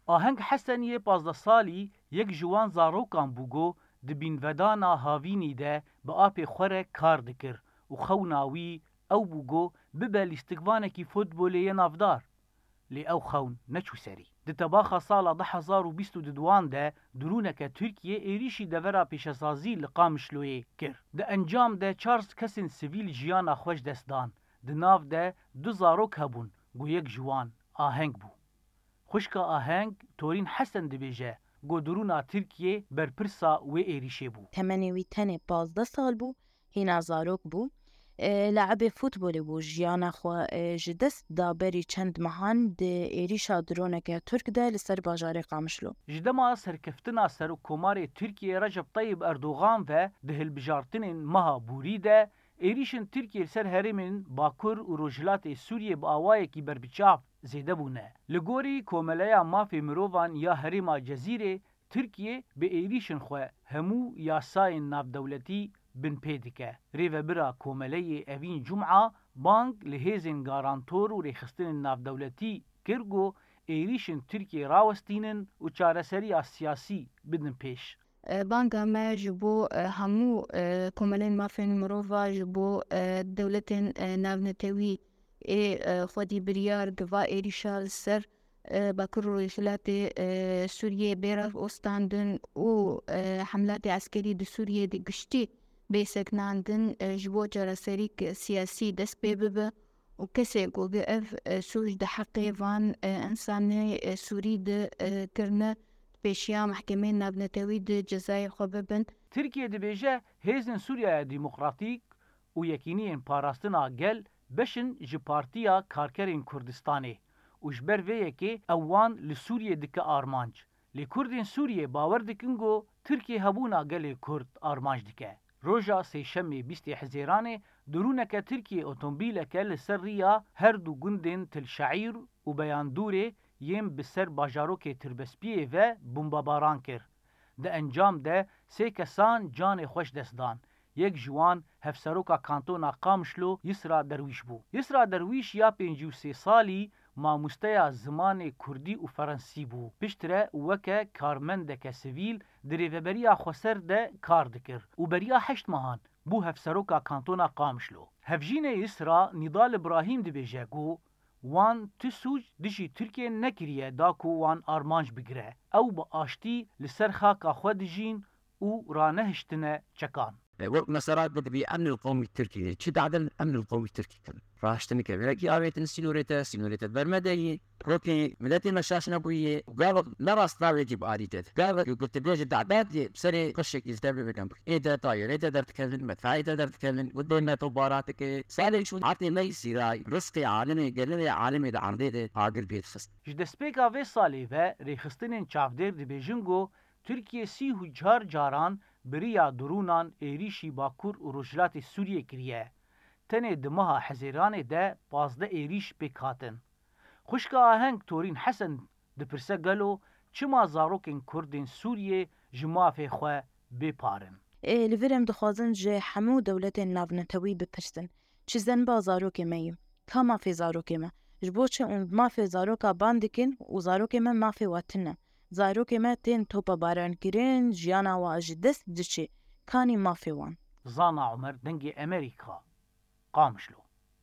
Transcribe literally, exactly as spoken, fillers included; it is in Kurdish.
Aheng Hesen yê pazdeh salî yek ji wan zarokan bû ku di bînvedana havînî de bi apê xwe re kar dikir û xewna wî ew bû ku bibe lîstikvanekî futbolê yê navdar. Lê ew xewn neçû serî. Di tebaxa sala du hezar û bîst û duan de dirûneke Tirkiyê êrîşî devera pêşesazî li Qamişloyê kir. Di encam de çar kesên sivîl jiyana xwe ji dest dan. Di nav de du zarok hebûn, ku yek ji wan Aheng bû. Xwişka Aheng, Torîn Hesen dibêje, ku dirûna Tirkiyê berpirsa wê êrîşê bû. Temenê wî tenê pazdeh sal bû, hîna zarok bû. E, Le'ibê futbolê bû, jiyana xwe e, ji dest da berî çend mehan di êrîşa droneke Tirk de li ser bajarê Qamişlo. Ji dema serkeftina Serokkomarê Tirkiyê Recep Tayyip Erdogan ve di hilbijartinên meha Borî de êrîşên Tirkiyê li ser herêmên Bakur û Rojhilatê Sûriyê bi awayekî berbiçav zêde bûne. Li gorî Komeleya Mafê Mirovan ya Herêma Cezîrê, Tirkiye bi êrîşên xwe hemû yasayên navdewletî binpê dike. Rêvebira Komeleyê Evîn Cuma bang li hêzên garantor û rêxistinên navdewletî kir ku êrîşên Tirkiye rawestînin û çareseriya siyasî bidin pêş. E, banga me ji bo e, hemû e, komelên mafên mirova, ji bo e, dewletên e, navnetewî ê e, xwedî biryar di va êrîşa li ser e, Bakur û Rojhilatê e, Sûriyê bê rastandin û e, hemlatê eskerî di Sûriyê di giştî bê sekinandin e, ji bo çareserîk siyasî dest pê bibe û kesê ku bi ev e, sûc di heqê van e, însanê e, Sûrî di e, kirine pêşiya mehkemeyên navnetewî di cezayê xwe bibin. Tirkiye dibêje hêzên Sûriyeya Demokratîk û Yekîniyên Parastina Gel beş in ji Partiya Karkerên Kurdistanê û ji ber vê yekê ew wan li Sûriyê dike armanc. Lê Kurdên Sûriyê bawer dikin ku Tirkiye hebûna gelê Kurd armanc dike. Roja Sêşemê bîstê Hizêranê dirûneke Tirkiyê otomobîleke li ser riya her du gundên Til Şeîr û Beyandûrê yên bi ser bajarokê Tirbespiyê ve bombebaran kir. Di encam de sê kesan canê xwe ji dest dan. Yek ji wan hevseroka kantona Qamişlo Yisra Derwîş bû. Yisra Derwîş ya pêncî û sê salî mamosteya zimanê kurdî û ferensî bû. Piştre weke karmendeke sivîl di rêveberiya xweser de kar dikir û beriya heşt mehan bû hevseroka kantona Qamişlo. Hevjînê Yisra Nîdal Îbrahîm dibêje ku wan tu sûc dijî Tirkiyê nekiriye da ku wan armanc bigire. Ew bi aştî li ser xaka xwe dijîn û ranehiştine çekan. E, wek mesela dibî emnil qewmî Tirkî, çi dadin emnil qewmî Tirkî kirin. Raştinike, wekî avêtin sînorê te, sînorê te bermedeyî, wekî miletê me şaş nebûyî, gavek ne rastnavekî bi alî te. Gavek ku tu bêjî dadetê, serê xweşekî li te bibikin. Ê te tayê, ê te derdikevin, me tayê te derdikevin, û dê me to bara dike. Salê çû hatê me îsîray, rizqê alimê, gelê alimê di erdê de agir pê dixist. Ji destpêka vê salê ve rêxistinên çavdêr dibêjin ku Tirkiye sî û çar caran bi riya dirûnan êrîşî Bakur û Rojhilatê Sûriyê kiriye. Tenê di meha Hezêranê de pazdeh êrîş pêk hatin. Xwişka Aheng Torîn Hesen dipirse gelo çima zarokên Kurdên Sûriyê ji mafê xwe bê par in? Ê, li vir em dixwazin ji hemû dewletên navnetewî bipirsin, çi zenba zarokê me yî? Ka mafê zarokê me? Ji bo çi em mafê zaroka ban dikin û zarokê me mafê we tune? Zarokê me tên topebarankirin, jiyana wa ji dest diçe. Kanî mafê wan? Zana Omer, Dengê Emerîka, Qamişlo.